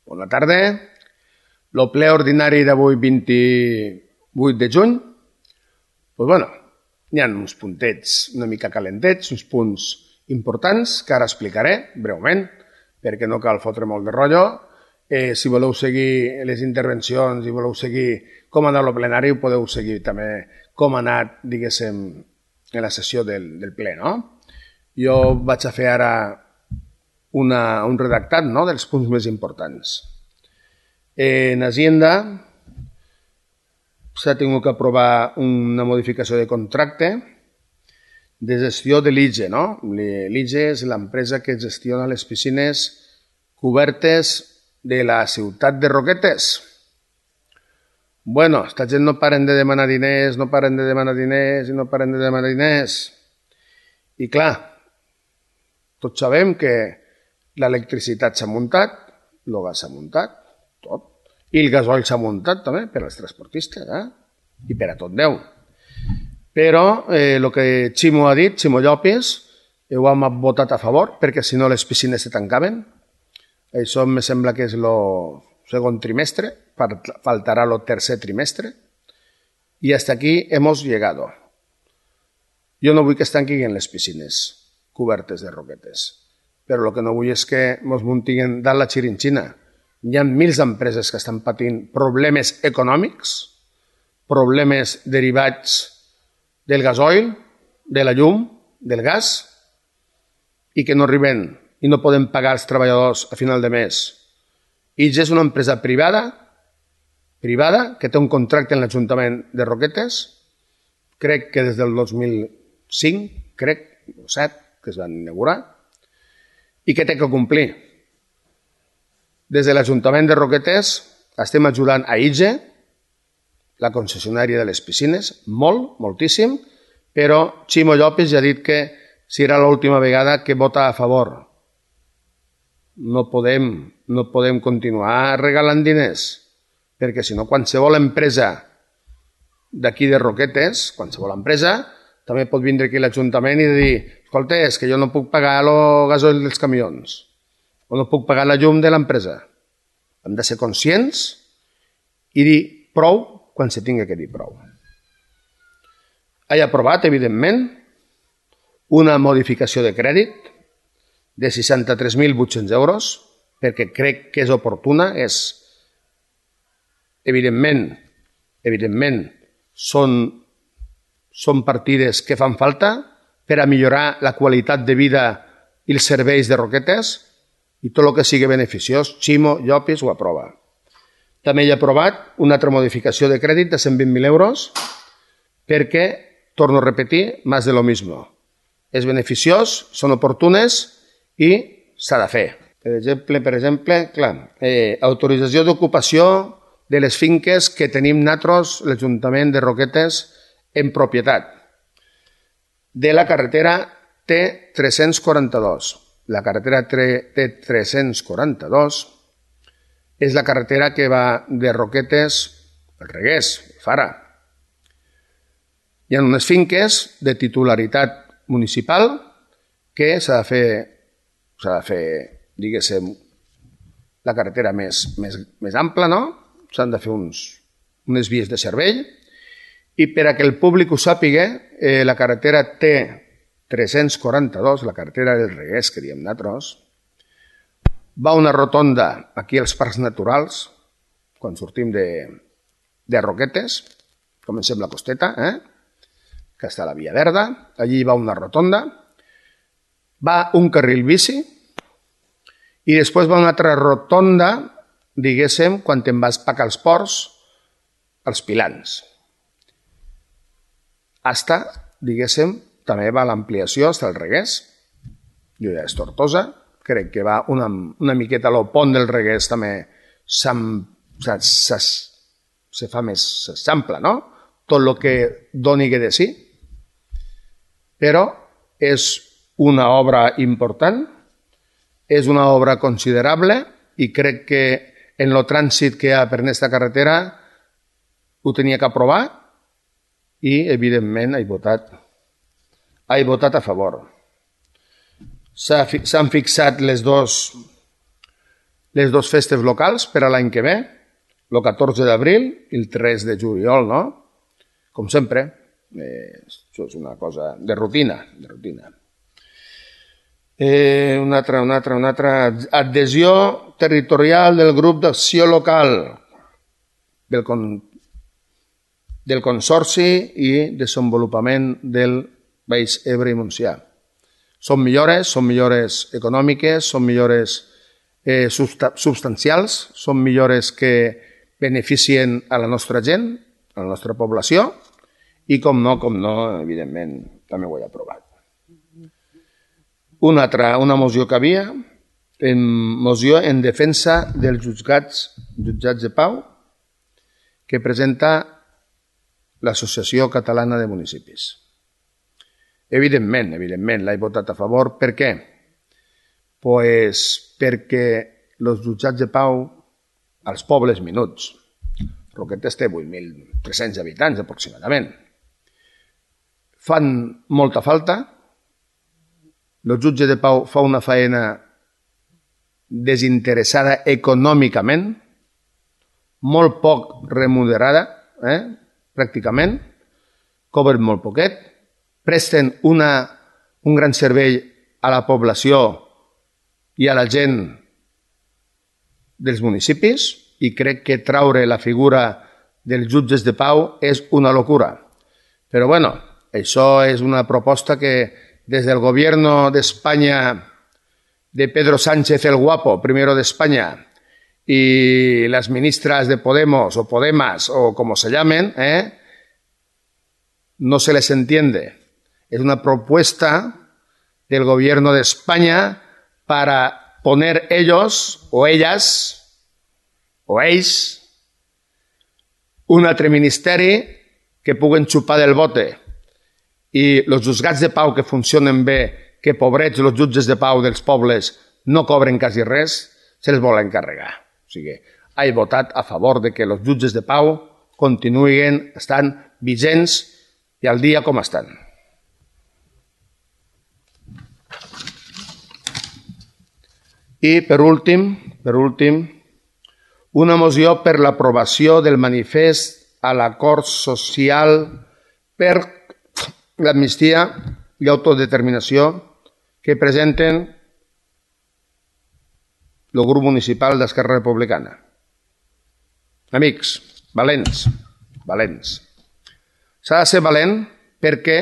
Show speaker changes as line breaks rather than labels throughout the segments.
Bona tarda. El ple ordinari d'avui, 28 de juny, hi ha uns puntets una mica calentets, uns punts importants que ara explicaré breument, perquè no cal fotre molt de rotllo. Si voleu seguir les intervencions i voleu seguir com ha anat el plenari, ho podeu seguir també com ha anat, diguéssim, en la sessió del ple, no? Jo vaig a fer ara un redactat dels punts més importants. En Hacienda s'ha tingut que aprovar una modificació de contracte de gestió de l'IGE. L'IGE és l'empresa que gestiona les piscines cobertes de la ciutat de Roquetes. Esta gent no paren de demanar diners, no paren de demanar diners i no paren de demanar diners. I clar, tots sabem que l'electricitat s'ha muntat, el gas s'ha muntat, tot. I el gasoil s'ha muntat també per als transportistes, i per a tot Déu. Però el que Ximo ha dit, Ximo Llopis, ho hem votat a favor, perquè si no les piscines se tancaven. Això em sembla que és el segon trimestre, faltarà el tercer trimestre, i hasta aquí hemos llegado. Jo no vull que es tanquin les piscines cobertes de Roquetes, però el que no vull és que ens muntin dalt la xirinxina. Hi ha mils d'empreses que estan patint problemes econòmics, problemes derivats del gasoil, de la llum, del gas, i que no arriben i no poden pagar els treballadors a final de mes. IGE és una empresa privada que té un contracte en l'Ajuntament de Roquetes, crec que des del 2005, o 2007, que es van inaugurar, i que té que complir. Des de l'Ajuntament de Roquetes estem ajudant a IGE, la concessionària de les piscines, moltíssim, però Ximo Llopis ja ha dit que serà l'última vegada que vota a favor. No podem continuar regalant diners, perquè si no qualsevol empresa d'aquí de Roquetes, qualsevol empresa, també pot vindre aquí a l'Ajuntament i dir: escolta, és que jo no puc pagar el gasoil dels camions o no puc pagar la llum de l'empresa. Hem de ser conscients i dir prou quan se tingui que dir prou. He aprovat, evidentment, una modificació de crèdit de 63.800 euros, perquè crec que és oportuna. Evidentment, són partides que fan falta per a millorar la qualitat de vida i els serveis de Roquetes, i tot el que sigui beneficiós, Ximo Llopis ho aprova. També he aprovat una altra modificació de crèdit de 120.000 euros perquè, torno a repetir, más de lo mismo. És beneficiós, són oportunes i s'ha de fer. Per exemple, autorització d'ocupació de les finques que tenim nosaltres, l'Ajuntament de Roquetes, en propietat. De la carretera T342. La carretera T342 és la carretera que va de Roquetes al Regués, Fara. Hi ha unes finques de titularitat municipal que s'ha de fer, diguéssim, la carretera més ampla, no? S'han de fer unes vies de servei, i per a que el públic ho sàpiga, la carretera T342, la carretera del Regués, que diem nosaltres, va a una rotonda aquí als Parcs Naturals, quan sortim de Roquetes, comencem la costeta, que està a la Via Verda, allí va una rotonda, va un carril bici i després va una altra rotonda, diguéssim, quan te'n vas cap als ports, als Pilans. Diguéssim, també va l'ampliació fins al Regués, jo ja és Tortosa, crec que va una miqueta al pont del Regués també se fa més, s'ampla, no? Tot el que doni de sí, però és una obra important, és una obra considerable i crec que en el trànsit que hi ha per aquesta carretera ho tenia que aprovar i, evidentment, he votat a favor. S'han fixat les les dues festes locals per a l'any que ve, el 14 d'abril i el 3 de juliol, no? Com sempre, això és una cosa de rutina. Una altra. Adhesió territorial del grup d'acció local del Consorci i desenvolupament del Baix Ebre i Montsià. Són millores econòmiques, són millores substancials, són millores que beneficien a la nostra gent, a la nostra població, i com no, evidentment, també ho he aprovat. Una moció que havia, moció en defensa dels jutjats de pau, que presenta l'Associació Catalana de Municipis. Evidentment, l'he votat a favor. Per què? Pues perquè els jutjats de pau als pobles menuts, Roquetes té 8.300 habitants aproximadament, fan molta falta. El jutge de pau fa una feina desinteressada econòmicament, molt poc remunerada, pràcticament, cobren molt poquet, presten un gran servei a la població i a la gent dels municipis, i crec que traure la figura dels jutges de pau és una locura. Però bueno, això és una proposta que des del gobierno de España de Pedro Sánchez el Guapo, primero de España, y las ministras de Podemos o Podemas o como se llamen, no se les entiende. Es una propuesta del gobierno de España para poner ellos o ellas o ells un altre ministeri que puguen xupar del bote, i els jutjats de pau que funcionen bé, que pobrets els jutges de pau dels pobles no cobren quasi res, se'ls volen carregar. O sigui, he votat a favor de que els jutges de pau continuïn estant vigents i al dia com estan. I per últim, una moció per l'aprovació del manifest a l'acord social per l'amnistia i autodeterminació que presenten el grup municipal d'Esquerra Republicana. Amics, valents. S'ha de ser valent perquè,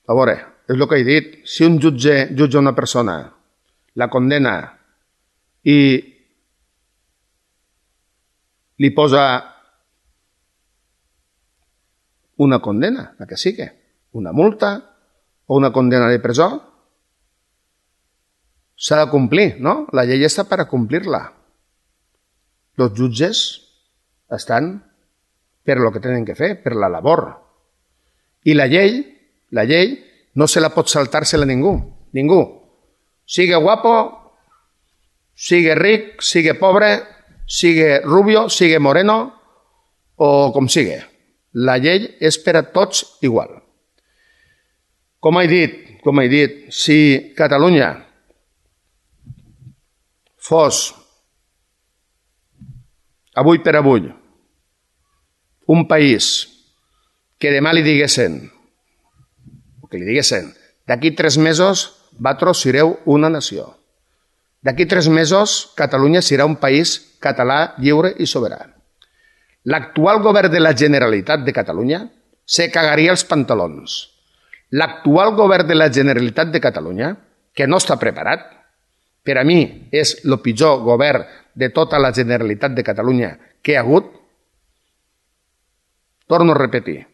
a veure, és el que he dit, si un jutge jutja una persona, la condena i li posa una condena, la que sigui, una multa o una condena de presó, s'ha de complir, no? La llei està per a complir-la. Els jutges estan per lo que tenen que fer, per la labor. I la llei no se la pot saltar-se-la ningú. Sigue guapo, sigue ric, sigue pobre, sigue rubio, sigue moreno o com sigue. La llei és per a tots igual. Com he dit, si Catalunya fos avui per avui un país que demà li diguessin, d'aquí 3 mesos vosaltres sereu una nació. D'aquí 3 mesos Catalunya serà un país català, lliure i sobirà. L'actual govern de la Generalitat de Catalunya se cagaria els pantalons. L'actual govern de la Generalitat de Catalunya, que no està preparat, per a mi és el pitjor govern de tota la Generalitat de Catalunya que hi ha hagut, torno a repetir,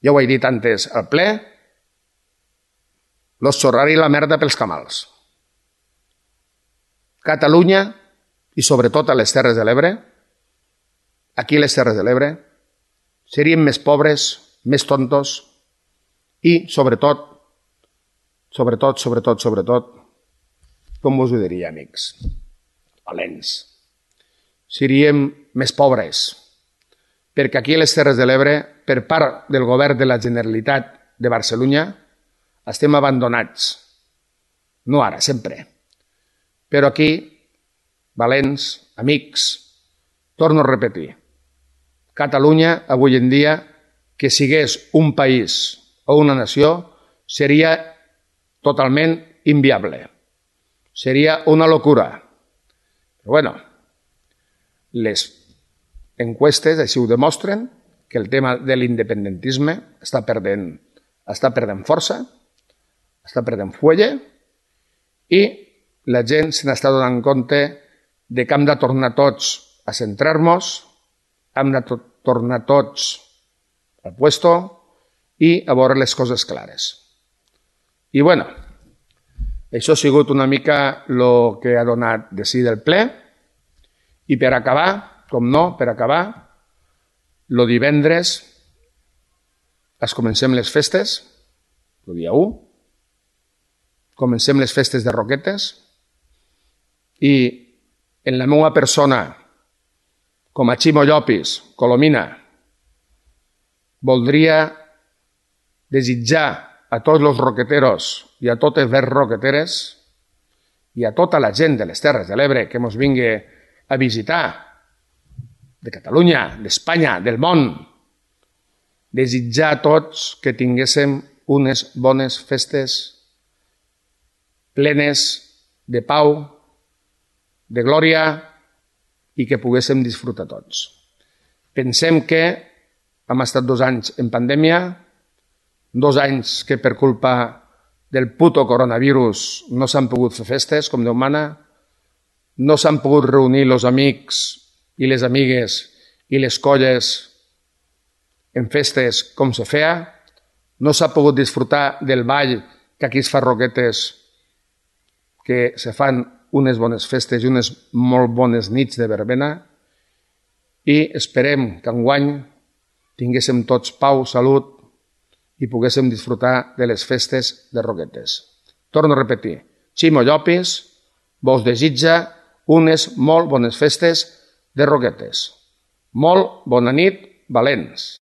ja ho he dit antes al ple, los xorrari la merda pels camals. Catalunya, i sobretot a les Terres de l'Ebre, aquí a les Terres de l'Ebre, seríem més pobres, més tontos i, sobretot, com us ho diria, amics, valents, seríem més pobres, perquè aquí a les Terres de l'Ebre, per part del govern de la Generalitat de Barcelona, estem abandonats. No ara, sempre. Però aquí, valents, amics, torno a repetir, Catalunya, avui en dia, que sigués un país o una nació, seria totalment inviable. Seria una locura. Però bueno, les enquestes així ho demostren, que el tema de l'independentisme està perdent força, està perdent fuelle, i la gent se n'està donant compte de que hem de tornar tots a centrar-nos, hem de tornar tots al puesto i a veure les coses clares. I bueno, això ha sigut una mica el que ha donat de si del ple, i per acabar, com no, el divendres comencem les festes, el dia 1, comencem les festes de Roquetes, i en la meva persona, com a Ximo Llopis, Colomina, voldria desitjar a tots els roqueteros i a totes les roqueteres i a tota la gent de les Terres de l'Ebre que ens vingui a visitar, de Catalunya, d'Espanya, del món, desitjar a tots que tinguéssim unes bones festes plenes de pau, de glòria i que poguéssim disfrutar tots. Pensem que hem estat 2 anys en pandèmia, 2 anys que per culpa del puto coronavirus no s'han pogut fer festes com Déu mana, no s'han pogut reunir els amics i les amigues i les colles en festes com se feia, no s'ha pogut disfrutar del ball que aquí es fa Roquetes, que se fan unes bones festes i unes molt bones nits de verbena, i esperem que enguany tinguéssim tots pau, salut i poguéssim disfrutar de les festes de Roquetes. Torno a repetir, Ximo Llopis vos desitja unes molt bones festes de Roquetes. Molt bona nit, valents!